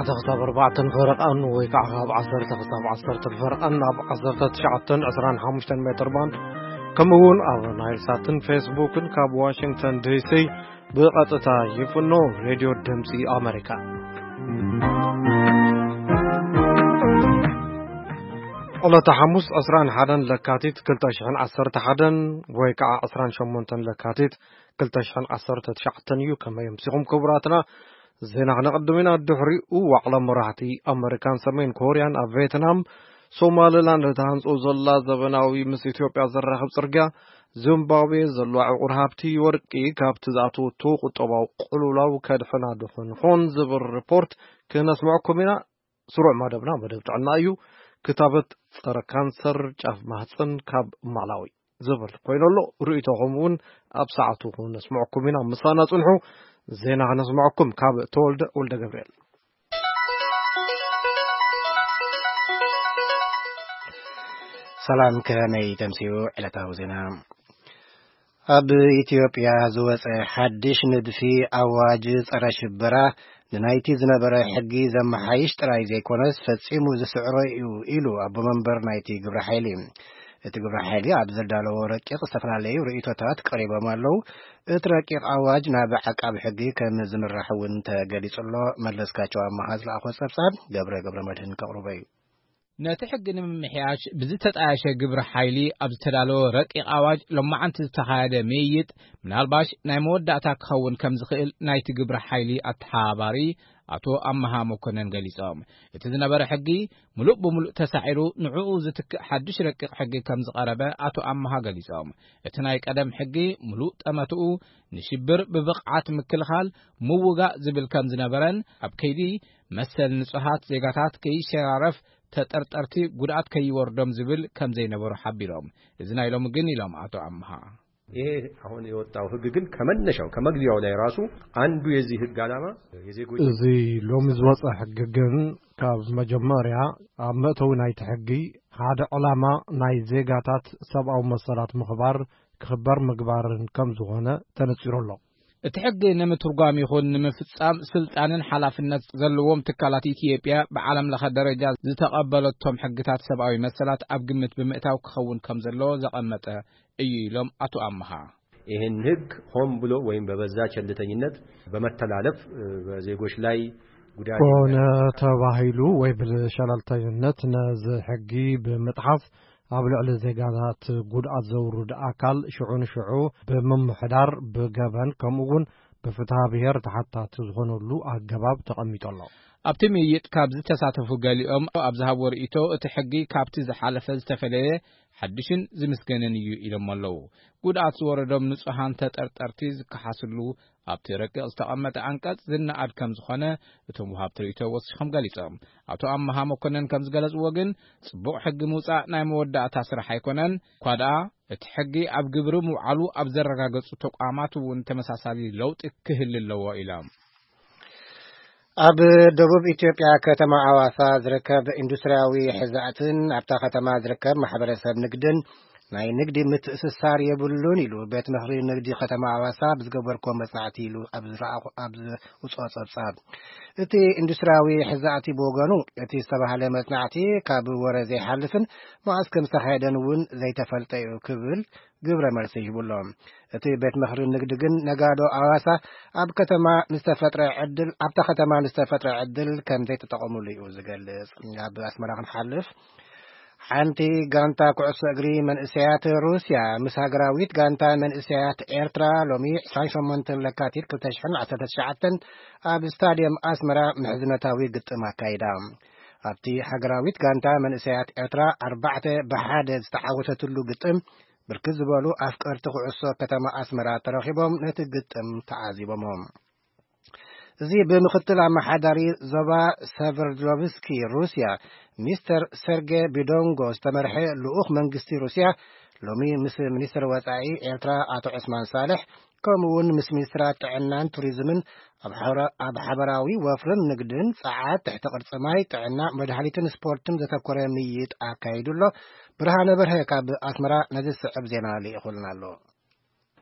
ክሳብ ኣርባዕተን ፈረቓን ወይ ከዓ ካብ ዓሰርተ ክሳብ ዓሰርተ ፈረቓን ኣብ ዓሰርተ ትሽዓተን ዕስራን ሓሙሽተን ሜትር ባንድ፣ ከምኡ እውን ኣብ ናይል ሳትን ፌስቡክን ካብ ዋሽንግተን ዲሲ ብቐጥታ ይፍኖ። ሬድዮ ድምፂ ኣሜሪካ። ዕለተ ሓሙስ ዕስራን ሓደን ለካቲት ክልተ ሽሕን ዓሰርተ ሓደን ወይ ከዓ ዕስራን ሸሞንተን ለካቲት ክልተ ሽሕን ዓሰርተ ትሽዓተን እዩ። ከመይ ኣምሲኹም ክቡራትና? ዜና ክነቕድም ኢና። ድሕሪኡ ዋዕላ መራሕቲ ኣመሪካን ሰሜን ኮርያን ኣብ ቬትናም፣ ሶማልላንድ እትሃንጾ ዘላ ዘበናዊ ምስ ኢትዮጵያ ዘራኽብ ጽርግያ፣ ዚምባብዌ ዘለዋ ዕቑር ሃብቲ ወርቂ ካብቲ ዝኣተወቶ ቁጠባዊ ቅልውላው ከድሕና ድኾን ይኾን ዝብል ሪፖርት ክነስምዐኩም ኢና። ስሩዕ መደብና መደብ ጥዕና እዩ። ክታበት ጸረ ካንሰር ጫፍ ማህፀን ካብ ማላዊ ዝብል ኮይኑ ኣሎ። ርእይቶኹም እውን ኣብ ሰዓቱ ክነስምዐኩም ኢና። ምሳና ጽንሑ። ዜና ክነስምዐኩም ካብ ተወልደ ወልደ ገብርኤል። ሰላም፣ ከመይ ተምስዩ ዕለታዊ ዜና? ኣብ ኢትዮጵያ ዝወጸ ሓድሽ ንድፊ ኣዋጅ ጸረ ሽበራ ንናይቲ ዝነበረ ሕጊ ዘመሓይሽ ጥራይ ዘይኮነስ ፈጺሙ ዝስዕሮ እዩ ኢሉ ኣቦ መንበር ናይቲ ግብረ ሓይሊ። እቲ ግብረ ሓይሊ ኣብ ዘዳለዎ ረቂቕ ዝተፈላለዩ ርእይቶታት ቀሪቦም ኣለዉ። እቲ ረቂቕ ኣዋጅ ናብ ዓቃቢ ሕጊ ከም ዝምራሕ እውን ተገሊጹ ኣሎ። መለስካቸው ኣመሃ ዝለኣኾ ጸብጻብ ገብረ ገብረ መድህን ከቕርቦ እዩ። ነቲ ሕጊ ንምምሕያሽ ብዝተጣየሸ ግብረ ሓይሊ ኣብ ዝተዳለወ ረቂቕ ኣዋጅ ሎማዓንቲ ዝተኻየደ ምይይጥ፣ ምናልባሽ ናይ መወዳእታ ክኸውን ከም ዝኽእል ናይቲ ግብረ ሓይሊ ኣተሓባባሪ ኣቶ ኣመሃ መኮነን ገሊጾም። እቲ ዝነበረ ሕጊ ምሉእ ብምሉእ ተሳዒሩ፣ ንዕኡ ዝትክእ ሓድሽ ረቂቕ ሕጊ ከም ዝቐረበ ኣቶ ኣመሃ ገሊጾም። እቲ ናይ ቀደም ሕጊ ምሉእ ጠመትኡ ንሽብር ብብቕዓት ምክልኻል፣ ምውጋእ ዝብል ከም ዝነበረን፣ ኣብ ከይዲ መሰል ንጹሃት ዜጋታት ከይሸራረፍ፣ ተጠርጠርቲ ጉድኣት ከይወርዶም ዝብል ከም ዘይነበሮ ሓቢሮም። እዚ ናይ ሎሚ ግን፣ ኢሎም ኣቶ ኣምሃ። ይሄ አሁን የወጣው ህግ ግን ከመነሻው፣ ከመግቢያው ላይ ራሱ አንዱ የዚህ ህግ ዓላማ የዜጎች እዚ ሎሚ ዝወፀ ሕጊ ግን ካብ መጀመርያ ኣብ መእተዊ ናይቲ ሕጊ ሓደ ዕላማ ናይ ዜጋታት ሰብኣዊ መሰላት ምኽባር፣ ክኽበር ምግባርን ከም ዝኾነ ተነፂሩ ኣሎ። እቲ ሕጊ ንምትርጓም ይኹን ንምፍጻም ስልጣንን ሓላፍነት ዘለዎም ትካላት ኢትዮጵያ ብዓለም ለኸ ደረጃ ዝተቐበለቶም ሕግታት ሰብኣዊ መሰላት ኣብ ግምት ብምእታው ክኸውን ከም ዘለዎ ዘቐመጠ እዩ ኢሎም ኣቶ ኣመሃ። ይህን ህግ ሆን ብሎ ወይም በበዛ ቸልተኝነት በመተላለፍ፣ እ፣ በዜጎች ላይ ጉዳት ኮነ ተባሂሉ ወይ ብሸለልተኝነት ነዚ ሕጊ ብምጥሓስ ኣብ ልዕሊ ዜጋታት ጉድኣት ዘውርድ ኣካል ሽዑ ንሽዑ ብምምሕዳር ብገበን ከምኡ እውን ብፍትሐ ብሔር ተሓታቲ ዝኾነሉ ኣገባብ ተቐሚጡ ኣሎ። ኣብቲ ምይይጥ ካብ ዝተሳተፉ ገሊኦም ኣብ ዝሃብዎ ርእይቶ፣ እቲ ሕጊ ካብቲ ዝሓለፈ ዝተፈለየ ሓድሽን ዝምስገንን እዩ ኢሎም ኣለዉ። ጉድኣት ዝወረዶም ንጹሃን ተጠርጠርቲ ዝከሓስሉ ኣብቲ ረቂቕ ዝተቐመጠ ኣንቀጽ ዝነኣድ ከም ዝኾነ እቶም ወሃብቲ ርእይቶ ወሲኾም ገሊጾም። ኣቶ ኣመሃ መኮነን ከም ዝገለጽዎ ግን፣ ጽቡቕ ሕጊ ምውጻእ ናይ መወዳእታ ስራሕ ኣይኮነን፣ እኳ ደኣ እቲ ሕጊ ኣብ ግብሪ ምውዓሉ ኣብ ዘረጋገጹ ተቋማት እውን ተመሳሳሊ ለውጢ ክህሊ ኣለዎ ኢሎም። ኣብ ደቡብ ኢትዮጵያ ከተማ ኣዋሳ ዝርከብ ኢንዱስትሪያዊ ሕዛእትን ኣብታ ከተማ ዝርከብ ማሕበረሰብ ንግድን ናይ ንግዲ ምትእስሳር የብሉን ኢሉ ቤት ምኽሪ ንግዲ ከተማ ኣዋሳ ብዝገበርኮ መጽናዕቲ ኢሉ ኣብ ዝረኣኹ-፣ ኣብ ዝውጽኦ ጸብጻብ። እቲ ኢንዱስትሪያዊ ሕዛእቲ ብወገኑ፣ እቲ ዝተባህለ መጽናዕቲ ካብ ወረ ዘይሓልፍን መዓስ ከም ዝተኻየደን እውን ዘይተፈልጠ እዩ ክብል ግብረ መልሲ ሂቡ ኣሎ። እቲ ቤት ምኽሪ ንግዲ ግን ነጋዶ ኣዋሳ ኣብ ከተማ ንዝተፈጥረ ዕድል፣ ኣብታ ከተማ ንዝተፈጥረ ዕድል ከም ዘይተጠቐሙሉ እዩ ዝገልጽ። ኣብ ኣስመራ ክንሓልፍ፣ ሓንቲ ጋንታ ኩዕሶ እግሪ መንእሰያት ሩስያ ምስ ሃገራዊት ጋንታ መንእሰያት ኤርትራ ሎሚ ዕስራን ሸሞንተን ለካቲት ክልተ ሽሕን ዓሰርተ ትሽዓተን ኣብ ስታድየም ኣስመራ ምሕዝነታዊ ግጥም ኣካይዳ። ኣብቲ ሃገራዊት ጋንታ መንእሰያት ኤርትራ ኣርባዕተ ብሓደ ዝተዓወተትሉ ግጥም፣ ብርክት ዝበሉ ኣፍቀርቲ ኩዕሶ ከተማ ኣስመራ ተረኺቦም ነቲ ግጥም ተዓዚቦሞ። እዚ ብምክትል ኣመሓዳሪ ዞባ ሰቨርዶቭስኪ ሩስያ፣ ሚስተር ሰርጌ ቢዶንጎ ዝተመርሐ ልኡኽ መንግስቲ ሩስያ፣ ሎሚ ምስ ሚኒስትር ወጻኢ ኤርትራ ኣቶ ዑስማን ሳልሕ፣ ከምኡ እውን ምስ ሚኒስትራት ጥዕናን ቱሪዝምን ኣብ ሓራ-፣ ኣብ ሓበራዊ ወፍርን ንግድን፣ ጸዓት፣ ትሕቲ ቅርጺ ማይ፣ ጥዕና፣ መድሃኒትን ስፖርትን ዘተኮረ ምይይጥ ኣካይዱ ኣሎ። ብርሃነ በርሀ ካብ ኣስመራ ነዚ ዝስዕብ ዜና ልኢኹልና ኣሎ።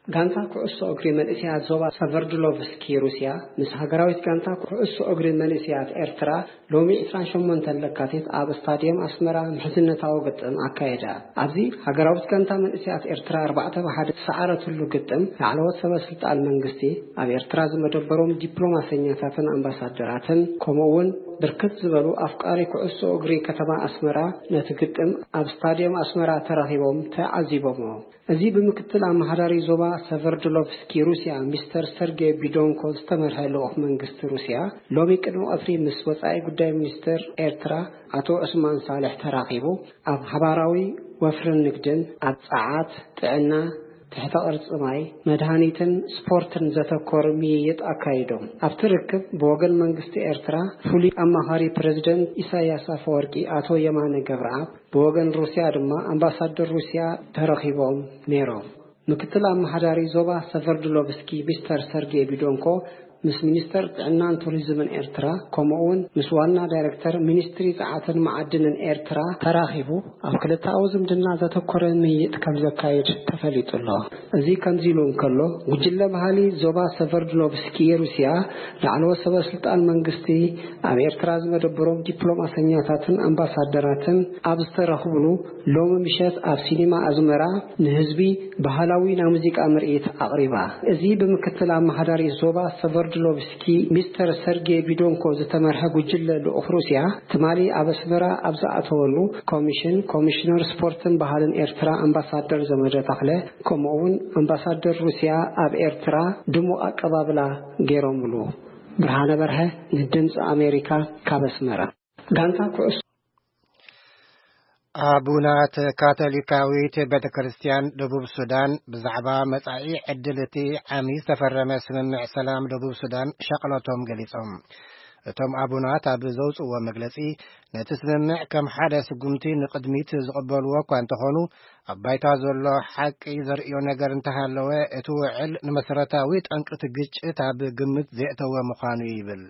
ጋንታ ኩዕሶ እግሪ መንእሰያት ዞባ ሰቨርድሎቭስኪ ሩስያ ምስ ሃገራዊት ጋንታ ኩዕሶ እግሪ መንእሰያት ኤርትራ ሎሚ ዕስራን ሸሞንተን ለካቲት ኣብ ስታድየም ኣስመራ ምሕዝነታዊ ግጥም ኣካየዳ። ኣብዚ ሃገራዊት ጋንታ መንእሰያት ኤርትራ ኣርባዕተ ብ ሓደ ዝሰዓረትሉ ግጥም፣ ላዕለዎት ሰበ ስልጣን መንግስቲ፣ ኣብ ኤርትራ ዝመደበሮም ዲፕሎማሰኛታትን ኣምባሳደራትን፣ ከምኡ እውን ብርክት ዝበሉ ኣፍቃሪ ኩዕሶ እግሪ ከተማ ኣስመራ ነቲ ግጥም ኣብ ስታድየም ኣስመራ ተረኺቦም ተዓዚቦሞ። እዚ ብምክትል ኣመሓዳሪ ዞባ ሰቨርድሎቭስኪ ሩስያ ሚስተር ሰርጌ ቢዶንኮ ዝተመርሐ ልኡኽ መንግስቲ ሩስያ ሎሚ ቅድሚ ቀትሪ ምስ ወጻኢ ጉዳይ ሚኒስትር ኤርትራ ኣቶ ዑስማን ሳልሕ ተራኺቡ ኣብ ሓባራዊ ወፍርን ንግድን፣ ኣብ ጸዓት፣ ጥዕና፣ ትሕተ ቅርጺ ማይ፣ መድሃኒትን ስፖርትን ዘተኮር ምይይጥ ኣካይዶም። ኣብቲ ርክብ ብወገን መንግስቲ ኤርትራ ፍሉይ ኣማኻሪ ፕረዚደንት ኢሳያስ ኣፈወርቂ ኣቶ የማነ ገብረኣብ፣ ብወገን ሩስያ ድማ ኣምባሳደር ሩስያ ተረኺቦም ነይሮም። ምክትል ኣመሓዳሪ ዞባ ሰቨርድሎቭስኪ ሚስተር ሰርጌ ቢዶንኮ ምስ ሚኒስተር ጥዕናን ቱሪዝምን ኤርትራ፣ ከምኡ እውን ምስ ዋና ዳይሬክተር ሚኒስትሪ ጸዓትን መዓድንን ኤርትራ ተራኺቡ ኣብ ክልተኣዊ ዝምድና ዘተኮረ ምይይጥ ከም ዘካይድ ተፈሊጡ ኣሎ። እዚ ከምዚ ኢሉ እንከሎ፣ ጉጅለ ባህሊ ዞባ ሰቨርድሎቭስኪ ሩስያ ላዕለዎት ሰበ ስልጣን መንግስቲ ኣብ ኤርትራ ዝመደበሮም ዲፕሎማሰኛታትን ኣምባሳደራትን ኣብ ዝተረኽብሉ፣ ሎሚ ምሸት ኣብ ሲኒማ ኣዝመራ ንህዝቢ ባህላዊ ናይ ሙዚቃ ምርኢት ኣቕሪባ። እዚ ብምክትል ኣመሓዳሪ ዞባ ሰቨርድሎቭስኪ ሚስተር ሰርጌ ቢዶንኮ ዝተመርሐ ጉጅለ ልኡኽ ሩስያ ትማሊ ኣብ ኣስመራ ኣብ ዝኣተወሉ፣ ኮሚሽን ኮሚሽነር ስፖርትን ባህልን ኤርትራ ኣምባሳደር ዘመደ ተኽለ፣ ከምኡ እውን ኣምባሳደር ሩስያ ኣብ ኤርትራ ድሙቕ ኣቀባብላ ገይሮምሉ። ብርሃነ በርሀ፣ ንድምፂ ኣሜሪካ፣ ካብ ኣስመራ። ጋንታ ኩዕሶ ኣቡናት ካቶሊካዊት ቤተ ክርስቲያን ደቡብ ሱዳን ብዛዕባ መጻኢ ዕድል እቲ ዓሚ ዝተፈረመ ስምምዕ ሰላም ደቡብ ሱዳን ሻቕሎቶም ገሊጾም። እቶም ኣቡናት ኣብ ዘውጽእዎ መግለጺ፣ ነቲ ስምምዕ ከም ሓደ ስጉምቲ ንቕድሚት ዝቕበልዎ እኳ እንተኾኑ፣ ኣብ ባይታ ዘሎ ሓቂ ዘርእዮ ነገር እንተሃለወ፣ እቲ ውዕል ንመሰረታዊ ጠንቅቲ ግጭት ኣብ ግምት ዘየእተወ ምዃኑ እዩ ይብል።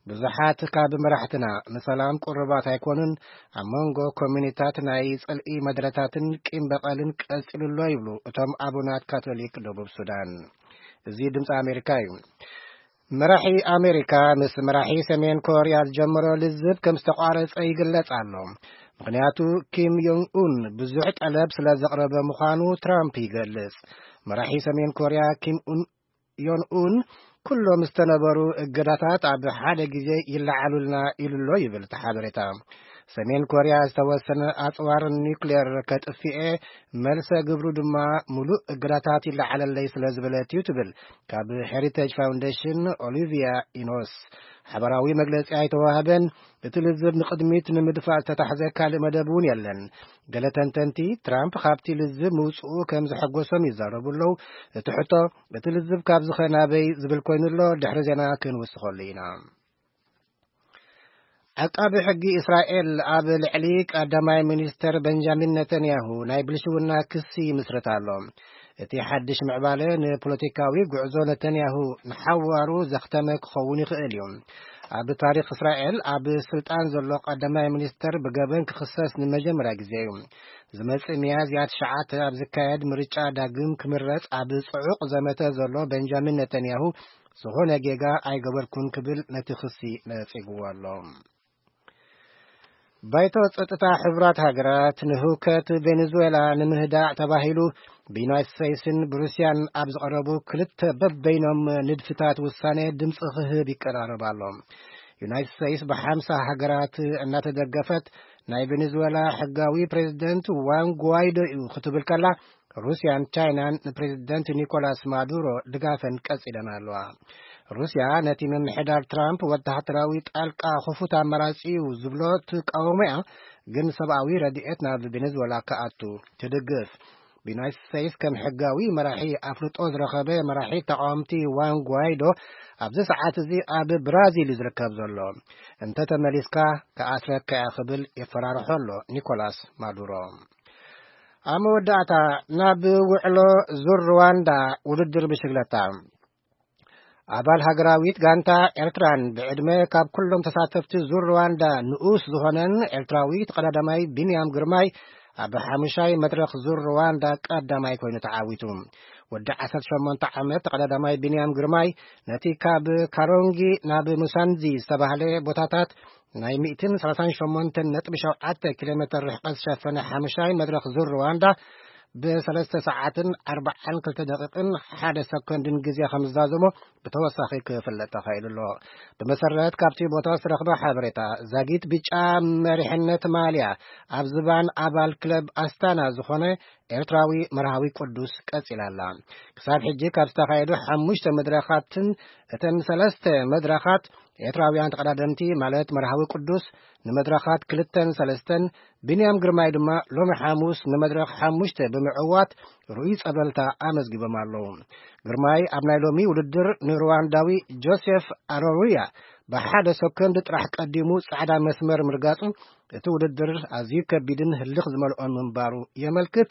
ብዙሓት ካብ መራሕትና ንሰላም ቅሩባት ኣይኮኑን፣ ኣብ መንጎ ኮሚኒታት ናይ ጽልኢ መድረታትን ቂም በቐልን ቀጺሉ ኣሎ ይብሉ እቶም ኣቡናት ካቶሊክ ደቡብ ሱዳን። እዚ ድምፂ ኣሜሪካ እዩ። መራሒ ኣሜሪካ ምስ መራሒ ሰሜን ኮርያ ዝጀመሮ ልዝብ ከም ዝተቋረጸ ይግለጽ ኣሎ። ምኽንያቱ ኪም ዮንግ ኡን ብዙሕ ጠለብ ስለ ዘቕረበ ምዃኑ ትራምፕ ይገልጽ። መራሒ ሰሜን ኮርያ ኪም ኡን ዮን ኡን ኩሎም ዝተነበሩ እገዳታት ኣብ ሓደ ግዜ ይለዓሉልና ኢሉ ኣሎ ይብል እቲ ሓበሬታ። ሰሜን ኮርያ ዝተወሰነ ኣጽዋር ኒውክሌር ከጥፍኤ፣ መልሰ ግብሩ ድማ ሙሉእ እገዳታት ይለዓለለይ ስለ ዝበለት እዩ ትብል ካብ ሄሪቴጅ ፋውንዴሽን ኦሊቪያ ኢኖስ። ሓባራዊ መግለጺ ኣይተዋህበን። እቲ ልዝብ ንቕድሚት ንምድፋእ ዝተታሕዘ ካልእ መደብ እውን የለን። ገለ ተንተንቲ፣ ትራምፕ ካብቲ ልዝብ ምውጽኡ ከም ዘሐጎሶም ይዛረቡ ኣለዉ። እቲ ሕቶ፣ እቲ ልዝብ ካብዚ ኸ ናበይ ዝብል ኮይኑ ኣሎ፣ ድሕሪ ዜና ክንውስኸሉ ኢና። ዓቃቢ ሕጊ እስራኤል ኣብ ልዕሊ ቀዳማይ ሚኒስተር ቤንጃሚን ነተንያሁ ናይ ብልሽውና ክሲ ይምስርት ኣሎ። እቲ ሓድሽ ምዕባለ ንፖለቲካዊ ጉዕዞ ነተንያሁ ንሓዋሩ ዘኽተመ ክኸውን ይኽእል እዩ። ኣብ ታሪኽ እስራኤል ኣብ ስልጣን ዘሎ ቀዳማይ ሚኒስተር ብገበን ክኽሰስ ንመጀመርያ ግዜ እዩ። ዝመጽእ ሚያዝያ ትሽዓተ ኣብ ዝካየድ ምርጫ ዳግም ክምረጽ ኣብ ጽዑቕ ዘመተ ዘሎ ቤንጃሚን ነተንያሁ፣ ዝኾነ ጌጋ ኣይገበርኩን ክብል ነቲ ክሲ ነጺግዎ ኣሎ። ባይቶ ጸጥታ ሕቡራት ሃገራት ንህውከት ቬኔዙዌላ ንምህዳእ ተባሂሉ ብዩናይትድ ስቴትስን ብሩስያን ኣብ ዝቐረቡ ክልተ በበይኖም ንድፍታት ውሳኔ ድምፂ ክህብ ይቀራረብ ኣሎ። ዩናይትድ ስቴትስ ብሓምሳ ሃገራት እናተደገፈት ናይ ቬኔዙዌላ ሕጋዊ ፕሬዚደንት ዋን ጓይዶ እዩ ክትብል ከላ፣ ሩስያን ቻይናን ንፕሬዚደንት ኒኮላስ ማዱሮ ድጋፈን ቀጺለን ኣለዋ። ሩስያ ነቲ ምምሕዳር ትራምፕ ወተሃደራዊ ጣልቃ ክፉት ኣማራጺ እዩ ዝብሎ ትቃወሞ እያ፣ ግን ሰብኣዊ ረድኤት ናብ ቬኔዙዌላ ክኣቱ ትድግፍ። ብዩናይትድ ስቴትስ ከም ሕጋዊ መራሒ ኣፍልጦ ዝረኸበ መራሒ ተቃወምቲ ዋን ጓይዶ ኣብዚ ሰዓት እዚ ኣብ ብራዚል እዩ ዝርከብ ዘሎ። እንተ ተመሊስካ ክኣስረካ እየ ክብል የፈራርሖ ኣሎ ኒኮላስ ማዱሮ። ኣብ መወዳእታ፣ ናብ ውዕሎ ዙር ሩዋንዳ ውድድር ብሽግለታ። ኣባል ሃገራዊት ጋንታ ኤርትራን ብዕድመ ካብ ኩሎም ተሳተፍቲ ዙር ሩዋንዳ ንኡስ ዝኾነን ኤርትራዊ ተቐዳዳማይ ቢንያም ግርማይ ኣብ ሓሙሻይ መድረኽ ዙር ሩዋንዳ ቀዳማይ ኮይኑ ተዓዊቱ። ወዲ ዓሰርተ ሸሞንተ ዓመት ተቐዳዳማይ ቢንያም ግርማይ ነቲ ካብ ካሮንጊ ናብ ሙሳንዚ ዝተባህለ ቦታታት ናይ ሚእትን ሰላሳን ሸሞንተን ነጥቢ ሸውዓተ ኪሎ ሜተር ርሕቀት ዝሸፈነ ሓሙሻይ መድረኽ ዙር ሩዋንዳ ብሰለስተ ሰዓትን ኣርባዓን ክልተ ደቂቕን ሓደ ሰኮንድን ግዜ ከም ዝዛዘሞ ብተወሳኺ ክፍለጥ ተኻኢሉ ኣሎ። ብመሰረት ካብቲ ቦታ ዝተረኽበ ሓበሬታ፣ ዛጊት ብጫ መሪሕነት ማልያ ኣብ ዝባን ኣባል ክለብ ኣስታና ዝኾነ ኤርትራዊ መርሃዊ ቅዱስ ቀጺላ ኣላ። ክሳብ ሕጂ ካብ ዝተኻየዱ ሓሙሽተ መድረኻትን እተን ሰለስተ መድረኻት ኤርትራውያን ተቐዳደምቲ ማለት መርሃዊ ቅዱስ ንመድረኻት ክልተን ሰለስተን፣ ቢንያም ግርማይ ድማ ሎሚ ሓሙስ ንመድረኽ ሓሙሽተ ብምዕዋት ርኡይ ጸብለልታ ኣመዝጊቦም ኣለዉ። ግርማይ ኣብ ናይ ሎሚ ውድድር ንሩዋንዳዊ ጆሴፍ ኣሮሩያ ብሓደ ሰኮንድ ጥራሕ ቀዲሙ ጻዕዳ መስመር ምርጋጹ እቲ ውድድር ኣዝዩ ከቢድን ህልኽ ዝመልኦን ምንባሩ የመልክት።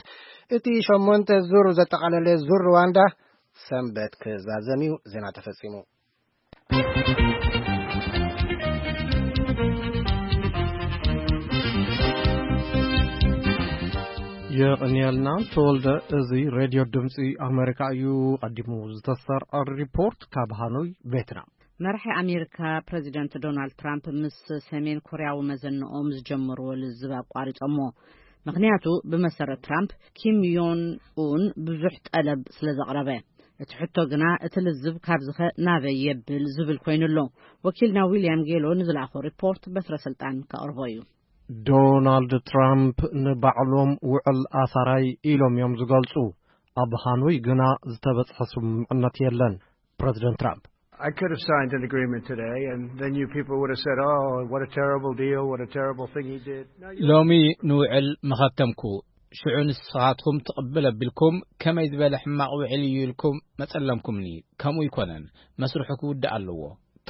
እቲ ሸሞንተ ዙር ዘጠቓለለ ዙር ሩዋንዳ ሰንበት ክዛዘም እዩ። ዜና ተፈጺሙ። የቐንየልና ተወልደ። እዚ ሬድዮ ድምፂ ኣሜሪካ እዩ። ቀዲሙ ዝተሰርዐ ሪፖርት ካብ ሃኖይ ቬትናም። መራሒ ኣሜሪካ ፕረዚደንት ዶናልድ ትራምፕ ምስ ሰሜን ኮርያዊ መዘንኦም ዝጀመርዎ ልዝብ ኣቋሪጾሞ። ምኽንያቱ ብመሰረት ትራምፕ ኪም ዮን ኡን ብዙሕ ጠለብ ስለ ዘቕረበ። እቲ ሕቶ ግና እቲ ልዝብ ካብዝኸ ናበይ የብል ዝብል ኮይኑሎ። ወኪልና ዊልያም ጌሎ ንዝለኣኾ ሪፖርት በትረ ስልጣን ከቕርቦ እዩ። ዶናልድ ትራምፕ ንባዕሎም ውዕል ኣሳራይ ኢሎም እዮም ዝገልጹ። ኣብ ሃኖይ ግና ዝተበጽሐ ስምምዕነት የለን። ፕረዚደንት ትራምፕ I could have signed an agreement today, and then you people would have said, "Oh, what a terrible deal, what a terrible thing he did." No, you ሎሚ ንውዕል መኸተምኩ። ሽዑ ንስኻትኩም ትቕብል ኣቢልኩም ከመይ ዝበለ ሕማቕ ውዕል እዩ ኢልኩም መጸለምኩምኒ። ከምኡ ይኮነን፣ መስርሑ ክውዳእ ኣለዎ።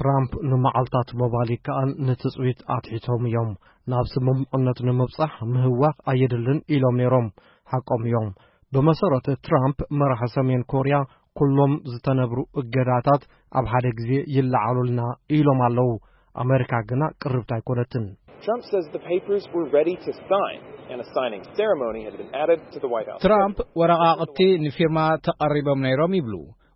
ትራምፕ ንመዓልታት ምባል ይከኣል ንትጽቢት ኣትሒቶም እዮም። ናብ ስምምዕነት ንምብጻሕ ምህዋኽ ኣየድልን ኢሎም ነይሮም። ሓቆም እዮም። ብመሰረት ትራምፕ መራሒ ሰሜን ኮርያ ኩሎም ዝተነብሩ እገዳታት ኣብ ሓደ ግዜ ይለዓሉልና ኢሎም ኣለዉ። ኣሜሪካ ግና ቅርብቲ ኣይኮነትን። Trump says the papers were ready to sign, and a signing ceremony had been added to the White House. ትራምፕ ወረቓቕቲ ንፊርማ ተቐሪቦም ነይሮም ይብሉ።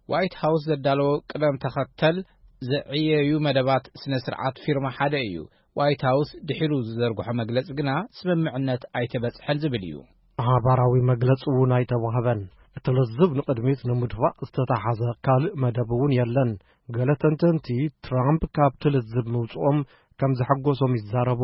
ዋይት ሃውስ ዘዳለዎ ቅደም ተኸተል ዘዕየዩ መደባት ስነ ስርዓት ፊርማ ሓደ እዩ። ዋይት ሃውስ ድሒሩ ዝዘርግሖ መግለጺ ግና ስምምዕነት ኣይተበጽሐን ዝብል እዩ። ሓባራዊ መግለጺ እውን ኣይተዋህበን። እቲ ልዝብ ንቕድሚት ንምድፋእ ዝተታሓዘ ካልእ መደብ እውን የለን። ገለ ተንተንቲ ትራምፕ ካብቲ ልዝብ ምውጽኦም ከም ዘሐጎሶም ይዛረቡ።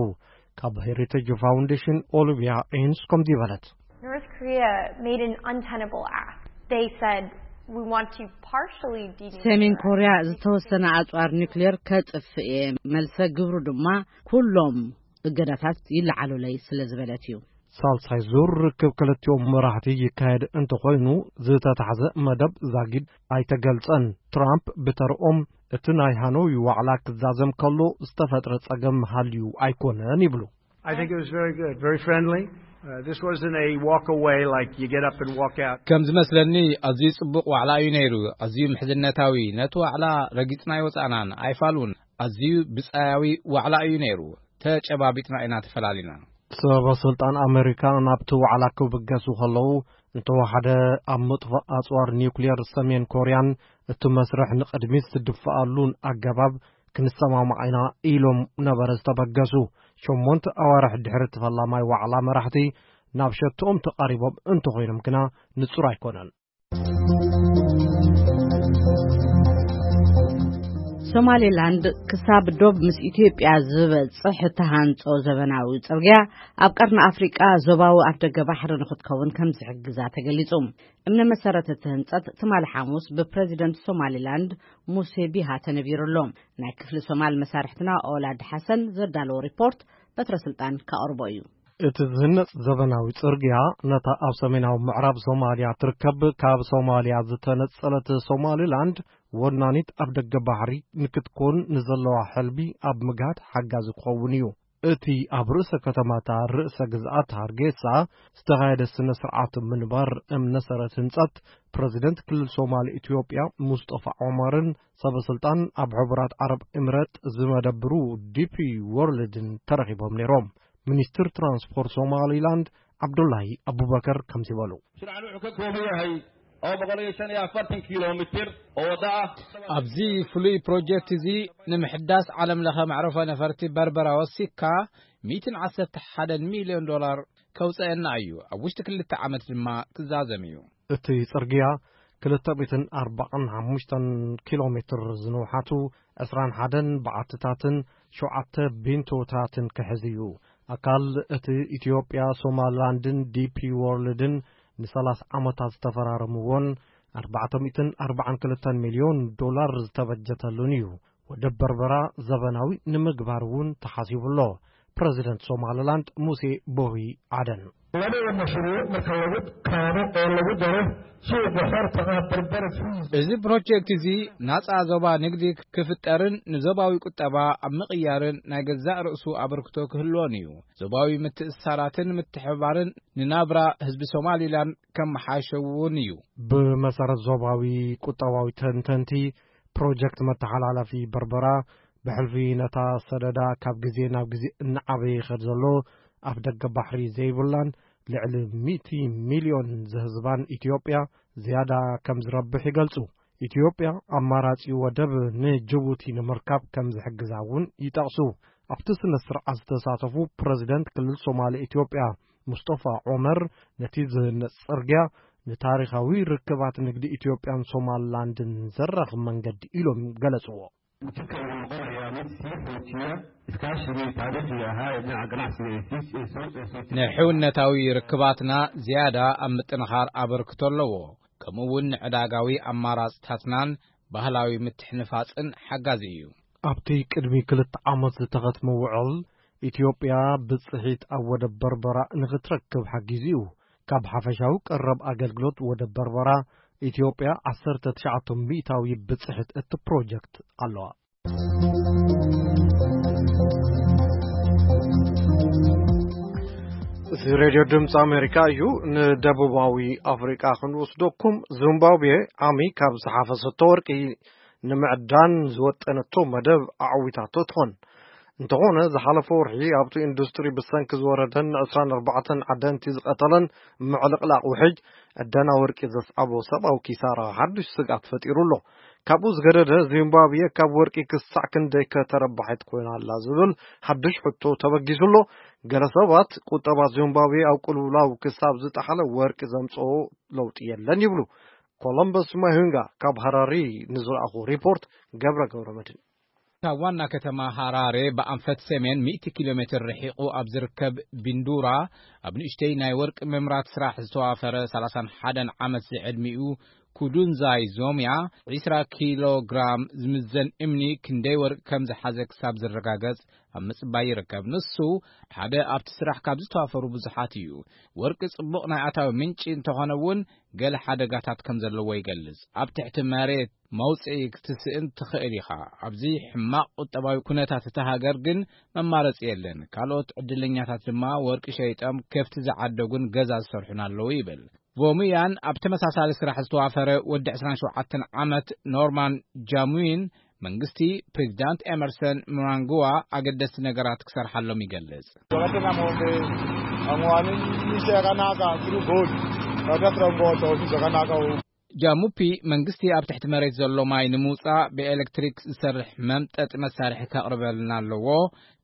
ካብ ሄሪቴጅ ፋውንዴሽን ኦሊቪያ ኤንስ ከምዚ በለት። North Korea made an untenable ask. They said, "We want to partially denuclearize." ሰሜን ኮርያ ዝተወሰነ ኣጽዋር ኒውክሌር ከጥፍእ እየ፣ መልሰ ግብሩ ድማ ኩሎም እገዳታት ይለዓሉለይ ስለ ዝበለት እዩ። ሳልሳይ ዙር ርክብ ክልቲኦም መራሕቲ ይካየድ እንተኾይኑ፣ ዝተታሕዘ መደብ ዛጊድ ኣይተገልጸን። ትራምፕ ብተርኦም እቲ ናይ ሃኖይ ዋዕላ ክዛዘም ከሎ ዝተፈጥረ ጸገም ሃልዩ ኣይኮነን ይብሉ። I think it was very good, very friendly. Uh, this wasn't a walk away like you get up and walk out. ከም ዝመስለኒ ኣዝዩ ጽቡቕ ዋዕላ እዩ ነይሩ። ኣዝዩ ምሕዝነታዊ። ነቲ ዋዕላ ረጊጽና ኣይወጻእናን፣ ኣይፋሉን። ኣዝዩ ብጻያዊ ዋዕላ እዩ ነይሩ። ተጨባቢጥና ኢና ተፈላሊና። ሰበ ስልጣን ኣሜሪካ ናብቲ ዋዕላ ክብገሱ ከለዉ፣ እንተወሓደ ኣብ ምጥፋእ ኣጽዋር ኒውክሌር ሰሜን ኮርያን እቲ መስርሕ ንቕድሚት ዝድፍኣሉን ኣገባብ ክንሰማማዕ ኢና ኢሎም ነበረ ዝተበገሱ። ሸሞንተ ኣዋርሕ ድሕሪ እቲ ፈላማይ ዋዕላ መራሕቲ ናብ ሸትኦም ተቓሪቦም እንተኾይኖም ግና ንጹር ኣይኮነን። ሶማሌላንድ ክሳብ ዶብ ምስ ኢትዮጵያ ዝበጽሕ እተሃንጾ ዘበናዊ ጽርግያ ኣብ ቀርኒ ኣፍሪቃ ዞባዊ ኣፍደገ ባሕሪ ንኽትከውን ከም ዝሕግዛ ተገሊጹ። እምነ መሰረት እቲ ህንጸት ትማሊ ሓሙስ ብፕረዚደንት ሶማሌላንድ ሙሴ ቢሃ ተነቢሩ ኣሎ። ናይ ክፍሊ ሶማል መሳርሕትና ኦላድ ሓሰን ዘዳለዎ ሪፖርት በትረ ስልጣን ከቕርቦ እዩ። እቲ ዝህነጽ ዘበናዊ ጽርግያ ነታ ኣብ ሰሜናዊ ምዕራብ ሶማልያ ትርከብ ካብ ሶማልያ ዝተነጸለት ሶማሊላንድ ወናኒት ኣፍደገ ባሕሪ ንክትኮን ንዘለዋ ሕልሚ ኣብ ምግሃድ ሓጋዚ ክኸውን እዩ። እቲ ኣብ ርእሰ ከተማታ ርእሰ ግዝኣት ሃርጌሳ ዝተኻየደ ስነ ስርዓት ምንባር እምነ ሰረት ህንጸት ፕረዚደንት ክልል ሶማል ኢትዮጵያ ሙስጠፋ ዑመርን ሰበ ስልጣን ኣብ ሕቡራት ዓረብ ኤምሬት ዝመደብሩ ዲፒ ወርልድን ተረኺቦም ነይሮም። ሚኒስትር ትራንስፖርት ሶማሊላንድ ዓብዱላሂ ኣቡበከር ከምዚ በሉ። Mashruucan wuxuu ka kooban yahay oo boqol iyo shan iyo afartan kilomitir oo wada ah. ኣብዚ ፍሉይ ፕሮጀክት እዚ ንምሕዳስ ዓለም ለኸ መዕረፎ ነፈርቲ በርበራ ወሲካ ሚእትን ዓሰርተ ሓደን ሚልዮን ዶላር ከውፀአና እዩ። ኣብ ውሽጢ ክልተ ዓመት ድማ ክዛዘም እዩ። እቲ ጽርግያ ክልተ ሚእትን ኣርባዓን ሓሙሽተን ኪሎ ሜትር ዝንውሓቱ፣ ዕስራን ሓደን በዓትታትን ሸውዓተ ቢንቶታትን ክሕዝ እዩ። ኣካል እቲ ኢትዮጵያ፣ ሶማልላንድን ዲፒ ዎርልድን ንሰላሳ ዓመታት ዝተፈራረምዎን ኣርባዕተ ሚእትን ኣርባዓን ክልተን ሚልዮን ዶላር ዝተበጀተሉን እዩ። ወደብ በርበራ ዘበናዊ ንምግባር እውን ተሓሲቡ ኣሎ። ፕረዚደንት ሶማልላንድ ሙሴ ቦሂ ዓደን። Labada mashruuc marka lagu kaabo oo lagu daro suuqa xorta ah, Berbera Free. እዚ ፕሮጀክት እዚ ናጻ ዞባ ንግዲ ክፍጠርን ንዞባዊ ቁጠባ ኣብ ምቕያርን ናይ ገዛእ ርእሱ ኣበርክቶ ክህልዎን እዩ። ዞባዊ ምትእስሳራትን ምትሕብባርን ንናብራ ህዝቢ ሶማሊላንድ ከመሓሸውን እዩ። ብመሰረት ዞባዊ ቁጠባዊ ተንተንቲ፣ ፕሮጀክት መተሓላለፊ በርበራ ብሕልፊ ነታ ሰደዳ ካብ ግዜ ናብ ግዜ እናዓበየ ይኸድ ዘሎ ኣፍ ደገ ባሕሪ ዘይብላን ልዕሊ ሚእቲ ሚልዮን ዝህዝባን ኢትዮጵያ ዝያዳ ከም ዝረብሕ ይገልጹ። ኢትዮጵያ ኣማራጺ ወደብ ንጅቡቲ ንምርካብ ከም ዝሕግዛ እውን ይጠቕሱ። ኣብቲ ስነ ስርዓት ዝተሳተፉ ፕረዚደንት ክልል ሶማሌ ኢትዮጵያ ሙስጠፋ ዑመር፣ ነቲ ዝህነጽ ጽርግያ ንታሪኻዊ ርክባት ንግዲ ኢትዮጵያን ሶማልላንድን ዘራኽብ መንገዲ ኢሎም ገለጽዎ። Jidka wuxuu noqonayaa mid sii xoojiya iskaashigii taariikhiga ahaa ee dhinaca ganacsiga ee sii- ee soo- ee soo ንሕውነታዊ ርክባትና ዝያዳ ኣብ ምጥንኻር ኣበርክቶ ኣለዎ። ከምኡ እውን ንዕዳጋዊ ኣማራፅታትናን ባህላዊ ምትሕንፋፅን ሓጋዚ እዩ። ኣብቲ ቅድሚ ክልተ ዓመት ዝተኸትመ ውዕል፣ ኢትዮጵያ ብፅሒት ኣብ ወደብ በርበራ ንኽትረክብ ሓጊዙ እዩ። ካብ ሓፈሻዊ ቀረብ ኣገልግሎት ወደብ በርበራ፣ ኢትዮጵያ ዓሰርተ ትሽዓተ ሚእታዊ ብፅሒት እቲ ፕሮጀክት ኣለዋ። እዚ ሬድዮ ድምፂ ኣሜሪካ እዩ። ንደቡባዊ ኣፍሪቃ ክንወስደኩም፣ ዚምባብዌ ዓሚ ካብ ዝሓፈሰቶ ወርቂ ንምዕዳን ዝወጠነቶ መደብ ኣዕዊታቶ ትኾን። እንተኾነ፣ ዝሓለፈ ወርሒ ኣብቲ ኢንዱስትሪ ብሰንኪ ዝወረደን ዕስራን ኣርባዕተን ዓደንቲ ዝቐተለን ምዕልቕላቕ ውሕጅ፣ ዕደና ወርቂ ዘስዓቦ ሰብኣዊ ኪሳራ ሓዱሽ ስግኣት ፈጢሩ ኣሎ። ካብኡ ዝገደደ፣ ዚምባብዌ ካብ ወርቂ ክሳዕ ክንደይ ከተረባሒት ኮይና ኣላ ዝብል ሓዱሽ ሕቶ ተበጊሱ ኣሎ። ገለ ሰባት፣ ቁጠባ ዚምባብዌ ኣብ ቅልውላው ክሳብ ዝጠሓለ ወርቂ ዘምጽኦ ለውጢ የለን ይብሉ። ኮሎምበስ ማሁንጋ ካብ ሃራሪ ንዝለኣኹ ሪፖርት ገብረ ገብረ መድህን። ካብ ዋና ከተማ ሃራሬ ብኣንፈት ሰሜን ሚእቲ ኪሎ ሜትር ርሒቑ ኣብ ዝርከብ ቢንዱራ፣ ኣብ ንእሽተይ ናይ ወርቂ ምምራት ስራሕ ዝተዋፈረ ሰላሳን ሓደን ዓመት ዝዕድሚኡ ኩዱንዛይ ዞምያ፣ ዒስራ ኪሎ ግራም ዝምዘን እምኒ ክንደይ ወርቂ ከም ዝሓዘ ክሳብ ዝረጋገጽ ኣብ ምጽባይ ይርከብ። ንሱ፣ ሓደ ኣብቲ ስራሕ ካብ ዝተዋፈሩ ብዙሓት እዩ። ወርቂ ጽቡቕ ናይ ኣታዊ ምንጪ እንተኾነ እውን፣ ገለ ሓደጋታት ከም ዘለዎ ይገልጽ። ኣብ ትሕቲ መሬት መውጽኢ ክትስእን ትኽእል ኢኻ። ኣብዚ ሕማቕ ቁጠባዊ ኩነታት እታ ሃገር ግን መማረጺ የለን። ካልኦት ዕድለኛታት ድማ ወርቂ ሸይጦም ከፍቲ ዝዓደጉን ገዛ ዝሰርሑን ኣለዉ ይብል። ቮሙያን ኣብ ተመሳሳሊ ስራሕ ዝተዋፈረ ወዲ ዕስራን ሸውዓተን ዓመት ኖርማን ጃሙዊን፣ መንግስቲ ፕሬዚዳንት ኤመርሰን ምናንግዋ ኣገደስቲ ነገራት ክሰርሓሎም ይገልጽ። ጃሙፒ መንግስቲ ኣብ ትሕቲ መሬት ዘሎ ማይ ንምውጻእ ብኤሌክትሪክ ዝሰርሕ መምጠጢ መሳርሒ ከቕርበልና ኣለዎ።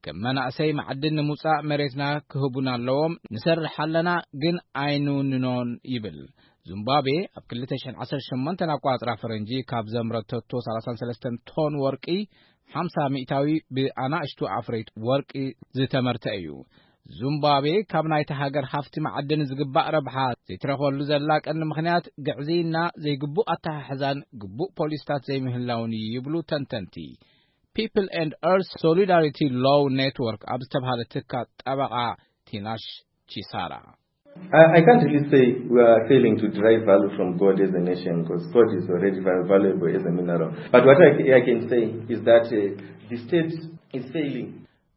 ከም መናእሰይ ማዕድን ንምውጻእ መሬትና ክህቡና ኣለዎም። ንሰርሕ ኣለና፣ ግን ኣይንውንኖን ይብል። ዙምባቤ ኣብ ክልተ ሽሕን ዓሰርተ ሸሞንተን ኣቋጽራ ፈረንጂ ካብ ዘምረተቶ ሰላሳን ሰለስተን ቶን ወርቂ፣ ሓምሳ ሚእታዊ ብኣናእሽቱ ኣፍረይቲ ወርቂ ዝተመርተ እዩ። ዙምባቤ ካብ ናይታ ሃገር ሃፍቲ ማዕድን ዝግባእ ረብሓ ዘይትረኽበሉ ዘላ ቀንዲ ምኽንያት ግዕዝይና፣ ዘይግቡእ ኣተሓሕዛን ግቡእ ፖሊስታት ዘይምህላውን እዩ ይብሉ ተንተንቲ። ፒፕል ኤንድ ኤርስ ሶሊዳሪቲ ሎው ኔትወርክ ኣብ ዝተብሃለ ትካል ጠበቓ ቲናሽ ቺሳራ። I, I can't really say we are failing to derive value from gold as a nation, because gold is already very valuable as a mineral. But what I, I can say is that, uh, the state is failing.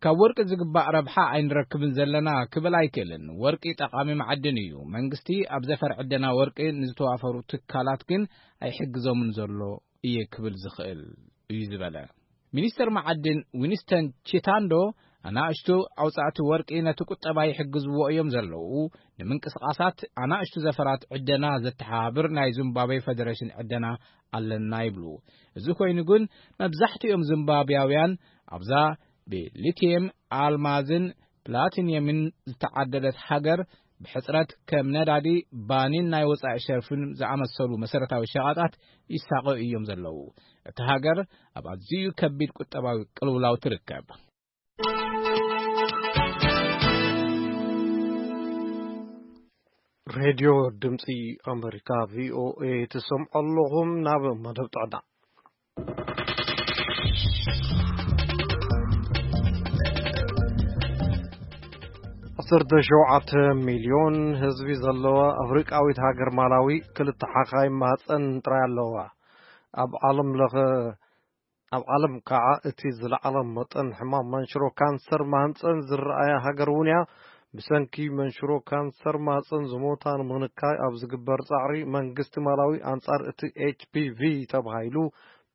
ካብ ወርቂ ዝግባእ ረብሓ ኣይንረክብን ዘለና ክብል ኣይክእልን። ወርቂ ጠቓሚ መዓድን እዩ። መንግስቲ ኣብ ዘፈር ዕደና ወርቂ ንዝተዋፈሩ ትካላት ግን ኣይሕግዞምን ዘሎ እየ ክብል ዝኽእል እዩ ዝበለ። ሚኒስተር መዓድን ዊንስተን ቺታንዶ ኣናእሽቱ ኣውጻእቲ ወርቂ ነቲ ቁጠባ ይሕግዝዎ እዮም ዘለዉ። ንምንቅስቓሳት ኣናእሽቱ ዘፈራት ዕደና ዘተሓባብር ናይ ዚምባብዌ ፈደረሽን ዕደና ኣለና ይብሉ። እዚ ኮይኑ ግን፣ መብዛሕትኦም ዚምባብያውያን ኣብዛ ብሊቲየም፣ ኣልማዝን ፕላቲኒየምን ዝተዓደለት ሃገር፣ ብሕጽረት ከም ነዳዲ፣ ባኒን ናይ ወጻኢ ሸርፍን ዝኣመሰሉ መሰረታዊ ሸቐጣት ይሳቐዩ እዮም ዘለዉ። እታ ሃገር ኣብ ኣዝዩ ከቢድ ቁጠባዊ ቅልውላው ትርከብ። ሬድዮ ድምፂ ኣመሪካ፣ ቪ ኦ ኤ፣ ትሰምዑ ኣለኹም። ናብ መደብ ጥዕና። ዓሰርተ ሸውዓተ ሚልዮን ህዝቢ ዘለዋ ኣፍሪቃዊት ሃገር ማላዊ፣ ክልተ ሓኻይም ማህፀን ጥራይ ኣለዋ። ኣብ ዓለም ለኸ ኣብ ዓለም ከዓ እቲ ዝለዓለ መጠን ሕማም መንሽሮ ካንሰር ማህፀን ዝረኣያ ሃገር እውን እያ። ብሰንኪ መንሽሮ ካንሰር ማህፀን ዝሞታ ንምንካይ ኣብ ዝግበር ፃዕሪ፣ መንግስቲ ማላዊ ኣንፃር እቲ ኤች ፒ ቪ ተባሂሉ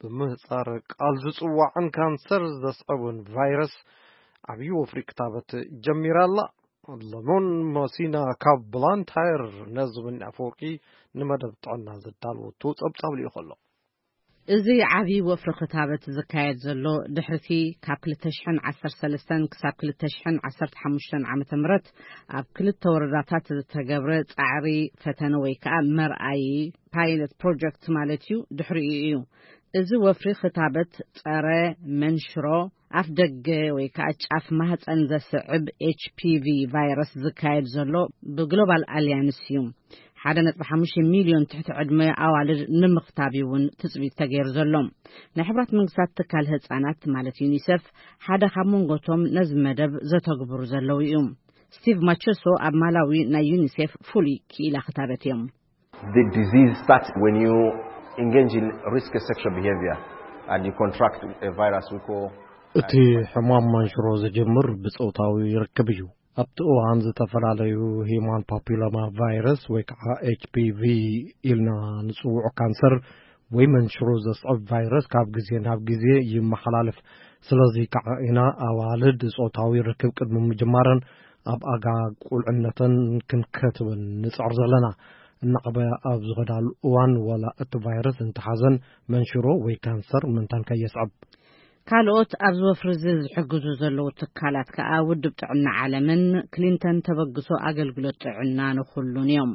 ብምህፃረ ቃል ዝፅዋዕን ካንሰር ዘስዕብን ቫይረስ ዓብዪ ወፍሪ ክታበት ጀሚራ ኣላ። ለሞን መሲና ካብ ብላንታየር ነዚ ምን ኣፈወርቂ ንመደብ ጥዕና ዘዳለወቶ ጸብጻብ ልኢኹ ኣሎ። እዚ ዓቢ ወፍሪ ክታበት ዝካየድ ዘሎ ድሕሪቲ ካብ ክልተ ሽሕን ዓሰርተ ሰለስተን ክሳብ ክልተ ሽሕን ዓሰርተ ሓሙሽተን ዓመተ ምህረት ኣብ ክልተ ወረዳታት ዝተገብረ ጻዕሪ ፈተነ ወይ ከኣ መርኣዪ ፓይለት ፕሮጀክት ማለት እዩ፣ ድሕሪኡ እዩ። እዚ ወፍሪ ክታበት ጸረ መንሽሮ ኣፍ ደገ ወይ ከኣ ጫፍ ማህጸን ዘስዕብ ኤች ፒ ቪ ቫይረስ ዝካየድ ዘሎ ብግሎባል ኣልያንስ እዩ። ሓደ ነጥቢ ሓሙሽተ ሚልዮን ትሕቲ ዕድመ ኣዋልድ ንምኽታብ እዩ እውን ትጽቢት ተገይሩ ዘሎ። ናይ ሕብራት መንግስታት ትካል ህጻናት ማለት ዩኒሰፍ ሓደ ካብ መንጎቶም ነዚ መደብ ዘተግብሩ ዘለዉ እዩ። ስቲቭ ማቸሶ ኣብ ማላዊ ናይ ዩኒሴፍ ፍሉይ ክኢላ ክታበት እዮም። The disease starts when you engage in risky sexual behavior and you contract a virus we call እቲ ሕማም መንሽሮ ዝጅምር ብጾታዊ ርክብ እዩ። ኣብቲ እዋን ዝተፈላለዩ ሂማን ፓፒሎማ ቫይረስ ወይ ከዓ ኤች ፒ ቪ ኢልና ንጽውዖ ካንሰር ወይ መንሽሮ ዘስዕብ ቫይረስ ካብ ግዜ ናብ ግዜ ይመሓላለፍ። ስለዚ ከዓ ኢና ኣዋልድ ጾታዊ ርክብ ቅድሚ ምጅማረን ኣብ ኣጋ ቁልዕነተን ክንከትበን ንጽዕር ዘለና። እናዕበያ ኣብ ዝኸዳሉ እዋን ዋላ እቲ ቫይረስ እንተሓዘን መንሽሮ ወይ ካንሰር ምንታን ከየስዕብ። ካልኦት ኣብዚ ወፍሪ እዚ ዝሕግዙ ዘለዉ ትካላት ከኣ ውድብ ጥዕና ዓለምን ክሊንተን ተበግሶ ኣገልግሎት ጥዕና ንኹሉን እዮም።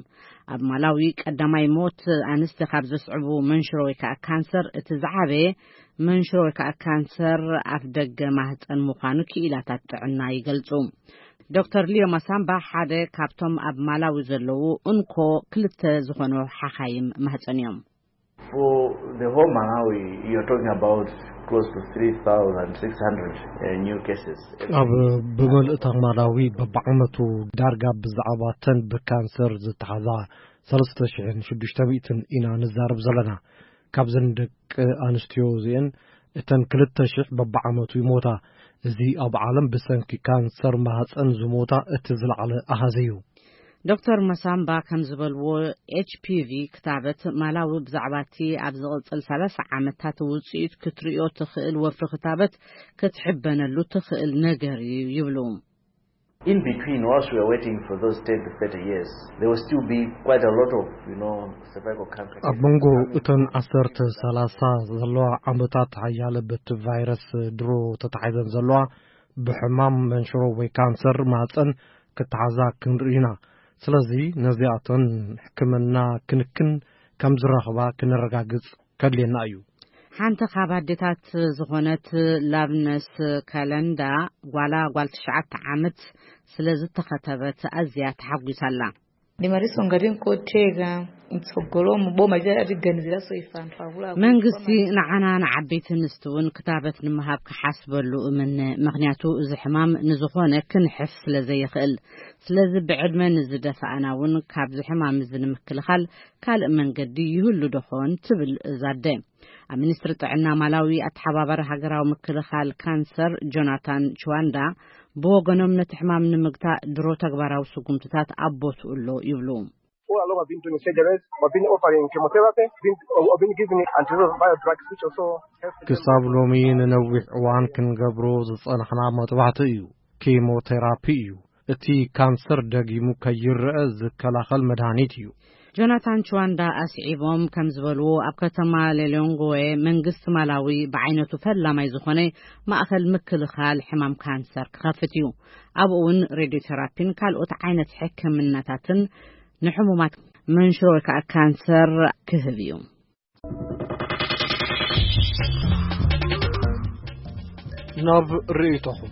ኣብ ማላዊ ቀዳማይ ሞት ኣንስቲ ካብ ዘስዕቡ መንሽሮ ወይ ከኣ ካንሰር እቲ ዝዓበየ መንሽሮ ወይ ከኣ ካንሰር ኣፍ ደገ ማህፀን ምዃኑ ክኢላታት ጥዕና ይገልጹ። ዶክተር ሊዮ ማሳምባ ሓደ ካብቶም ኣብ ማላዊ ዘለዉ እንኮ ክልተ ዝኾኑ ሓኻይም ማህፀን እዮም። For the whole Malawi, you're talking about close to three thousand six hundred, uh, new cases every ኣብ year. ብምልእታ ማላዊ በብዓመቱ ዳርጋ ብዛዕባ ተን ብካንሰር ዝተሓዛ ሰለስተ ሽሕን ሽዱሽተ ሚእትን ኢና ንዛረብ ዘለና። ካብዘን ደቂ ኣንስትዮ እዚአን እተን ክልተ ሽሕ በብዓመቱ ይሞታ። እዚ ኣብ ዓለም ብሰንኪ ካንሰር ማህፀን ዝሞታ እቲ ዝለዓለ ኣሃዝ እዩ። ዶክተር መሳምባ ከም ዝበልዎ፣ ኤች ፒ ቪ ክታበት ማላዊ ብዛዕባ እቲ ኣብ ዝቕጽል ሰላሳ ዓመታት ውጽኢት ክትርእዮ ትኽእል ወፍሪ ክታበት ክትሕበነሉ ትኽእል ነገር እዩ ይብሉ። In between, whilst we are waiting for those ten to thirty years, there will still be quite a lot of, you know, cervical cancer ኣብ cases መንጎ coming እተን through. ዓሰርተ ሰላሳ ዘለዋ ዓመታት ሓያለ በቲ ቫይረስ ድሮ ተታሒዘን ዘለዋ ብሕማም መንሽሮ ወይ ካንሰር ማህፀን ክተሓዛ ክንርኢ ኢና። ስለዚ ነዚኣተን ሕክምና ክንክን ከም ዝረኽባ ክነረጋግጽ ከድልየና እዩ። ሓንቲ ካብ ኣዴታት ዝኾነት ላብነስ ከለንዳ ጓላ ጓል ትሽዓተ ዓመት ስለ ዝተኸተበት ኣዝያ ተሓጒሳ ኣላ። Ndimaliso ngati nkotheka mtsogolomu boma lidzatiganizira so ife anthu akuluakulu. መንግስቲ ንዓና ንዓበይቲ ኣንስቲ እውን ክታበት ንምሃብ ክሓስበሉ እምነ፣ ምኽንያቱ እዚ ሕማም ንዝኾነ ክንሕፍ ስለ ዘይኽእል። ስለዚ ብዕድመ ንዝደፋኣና እውን ካብዚ ሕማም እዚ ንምክልኻል ካልእ መንገዲ ይህሉ ዶ ኾን ትብል እዛ ኣደ። ኣብ ሚኒስትሪ ጥዕና ማላዊ ኣተሓባባሪ ሃገራዊ ምክልኻል ካንሰር ጆናታን ችዋንዳ ብወገኖም ነቲ ሕማም ንምግታእ ድሮ ተግባራዊ ስጉምትታት ኣብ ቦትኡ ኣሎ ይብሉ። All along I've been doing surgeries, I've been offering chemotherapy, been, I've been giving antiretroviral drugs which also helps. ክሳብ ሎሚ ንነዊሕ እዋን ክንገብሮ ዝጸናሕና መጥባሕቲ እዩ። ኬሞቴራፒ እዩ። እቲ ካንሰር ደጊሙ ከይረአ ዝከላኸል መድሃኒት እዩ። ጆናታን ችዋንዳ ኣስዒቦም ከም ዝበልዎ፣ ኣብ ከተማ ሌሎንግዌ መንግስቲ ማላዊ ብዓይነቱ ፈላማይ ዝኾነ ማእኸል ምክልኻል ሕማም ካንሰር ክኸፍት እዩ። ኣብኡ እውን ሬድዮቴራፒን ካልኦት ዓይነት ሕክምናታትን ንሕሙማት መንሽሮ ወይ ከዓ ካንሰር ክህብ እዩ። ናብ ርእይቶኹም።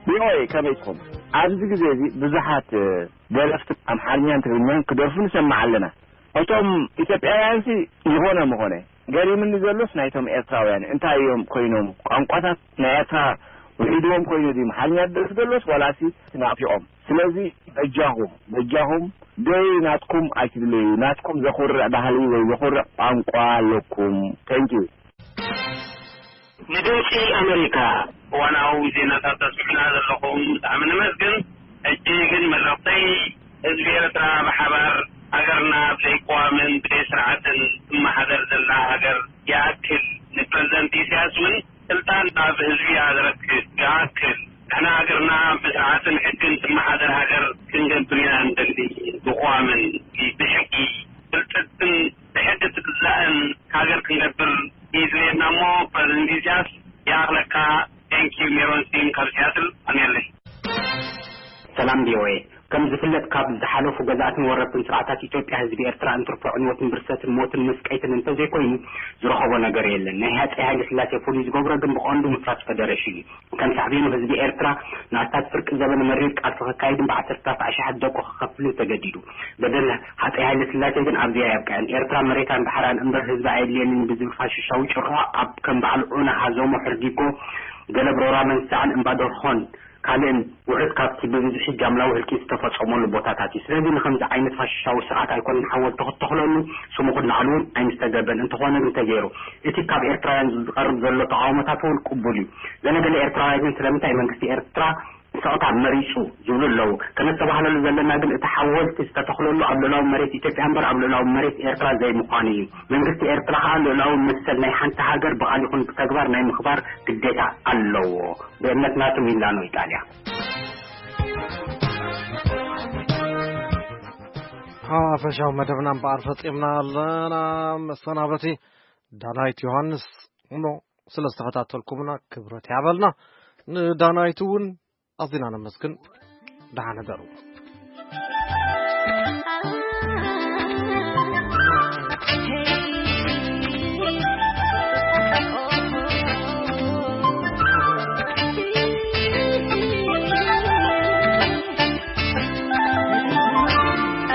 ቪኦኤ፣ ከመይ ትኹም? ኣብዚ ግዜ እዚ ብዙሓት ደረፍቲ ኣምሓርኛን ትግርኛን ክደርፉ ንሰምዕ ኣለና። እቶም ኢትዮጵያውያንሲ ዝኾነ ምኾነ፣ ገሪምኒ ዘሎስ ናይቶም ኤርትራውያን እንታይ እዮም ኮይኖም? ቋንቋታት ናይ ኤርትራ ውሒድዎም ኮይኑ ድዩ ኣምሓርኛ ዝደርፍ ዘሎስ ዋላሲ ናፊቖም? ስለዚ በጃኹም፣ በጃኹም ደይ ናትኩም ኣይትድለዩ። ናትኩም ዘኹርዕ ባህሊ ወይ ዘኹርዕ ቋንቋ ኣለኩም። Thank you። ንድምፂ ኣመሪካ እዋናዊ ዜናታት ተስምዕና ዘለኹም ብጣዕሚ ነመስግን። ሕጂ ግን መልእኽተይ ህዝቢ ኤርትራ ብሓባር ሃገርና ብዘይ ቅዋምን ብዘይ ስርዓትን ትመሓደር ዘላ ሃገር ይኣክል ንፕረዚደንት ኢሳያስ እውን ስልጣን ኣብ ህዝቢ እያ ዘረክብ ይኣክል ንሕና ሃገርና ብስርዓትን ሕግን ትመሓደር ሃገር ክንገብር ኢና ንደሊ። ብቅዋምን ብሕጊ ብልፅግትን ብሕጊ ትግዛእን ሃገር ክንገብር እዩ ድሌትና እሞ ፕረዚደንት ኢሳያስ ይኣኽለካ። Thank you ሜሮን ሲም ካብ ሲያትል ኣሜለይ። ሰላም ቪኦኤ። ከም ዝፍለጥ ካብ ዝሓለፉ ገዛእትን ወረርትን ስርዓታት ኢትዮጵያ ህዝቢ ኤርትራ እንትርፎ ዕንወትን ብርሰትን ሞትን መስቀይትን እንተዘይኮይኑ ዝረኸቦ ነገር የለን። ናይ ሃፀይ ሃይለ ስላሴ ፍሉይ ዝገብሮ ግን ብቐንዱ ምፍራስ ፈደረሽን እዩ። ከም ሳዕቤኑ ህዝቢ ኤርትራ ንኣስታት ፍርቂ ዘበን መሪር ቃልሲ ከካይድን ብዓሰርታት ኣሽሓት ደቁ ከኸፍልን ተገዲዱ። በደል ሃፀይ ሃይለ ስላሴ ግን ኣብዚኣ ኣየብቅዐን። ኤርትራ መሬታን ባሕራን እምበር ህዝቢ ኣየድልየንን ብዝብል ፋሽሻዊ ጭርሖ ኣብ ከም በዓል ዑና ሃዞሞ ሕርጊጎ ገለብ ሮራ መንሳዕን እምባደርሆን ካልእን ውሑድ ካብቲ ብብዝሒ ጃምላዊ ህልቂት ዝተፈጸመሉ ቦታታት እዩ። ስለዚ ንኸምዚ ዓይነት ፋሽሻዊ ስርዓት ኣይኮነን ሓወልቲ ክትተኽለሉ ስሙ ክለዓል እውን ኣይምስተገብረን። እንተኾነ ግን ተገይሩ። እቲ ካብ ኤርትራውያን ዝቐርብ ዘሎ ተቓውሞታት እውን ቅቡል እዩ። ገለገለ ኤርትራውያን ግን ስለምንታይ መንግስቲ ኤርትራ ስቕታ መሪጹ ዝብሉ ኣለዉ። ከነስተባህለሉ ዘለና ግን እቲ ሓወልቲ ዝተተኽለሉ ኣብ ልኡላዊ መሬት ኢትዮጵያ እምበር ኣብ ልኡላዊ መሬት ኤርትራ ዘይምዃኑ እዩ። መንግስቲ ኤርትራ ከኣ ልኡላዊ መሰል ናይ ሓንቲ ሃገር ብቓል ይኹን ብተግባር ናይ ምኽባር ግዴታ ኣለዎ። ብእምነት ናቱ ሚላኖ ኢጣልያ። ሓፈሻዊ መደብና እምበኣር ፈጺምና ኣለና። መሰናበቲ ዳናይት ዮሃንስ እሞ ስለ ዝተኸታተልኩምና ክብረት ያበልና። ንዳናይት እውን ኣዚና ነመስግን። ደሓን ሕደሩ።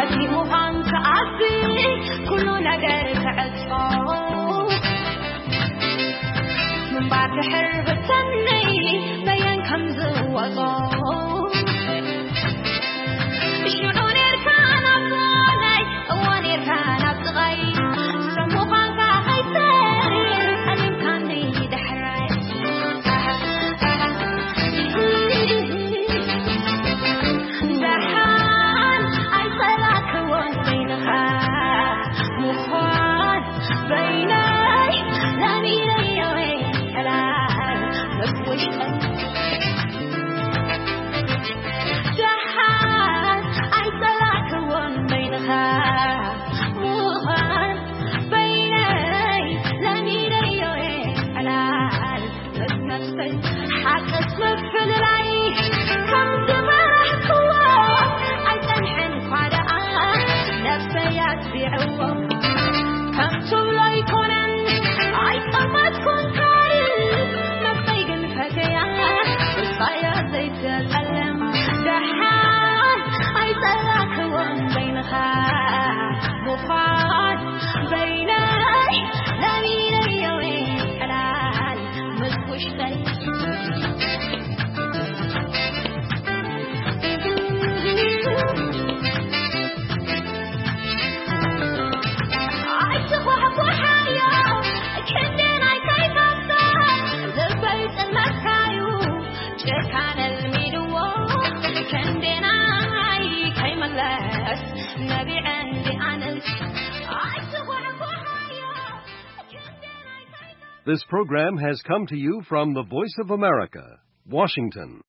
እዚ ምዃን ከኣቢ ኩሉ ነገር ክዕጾ ምንባር ድሕር ብተነይ በየን ከም ዝወጾ ሽዑ ኔርካ ናብ ጓናይ እዋ ኔርካ ናብ ጥቓይ ሰብ ምዃንካ ከይትርኢ ኣሊምካኒ ዳሕራይ ደሓን ኣይጸላእክዎን በይንኻ ምዃን በይነይ ለሚደዮ ወይ ሕላል መፍወሽጠን This program has come to you from the Voice of America, Washington.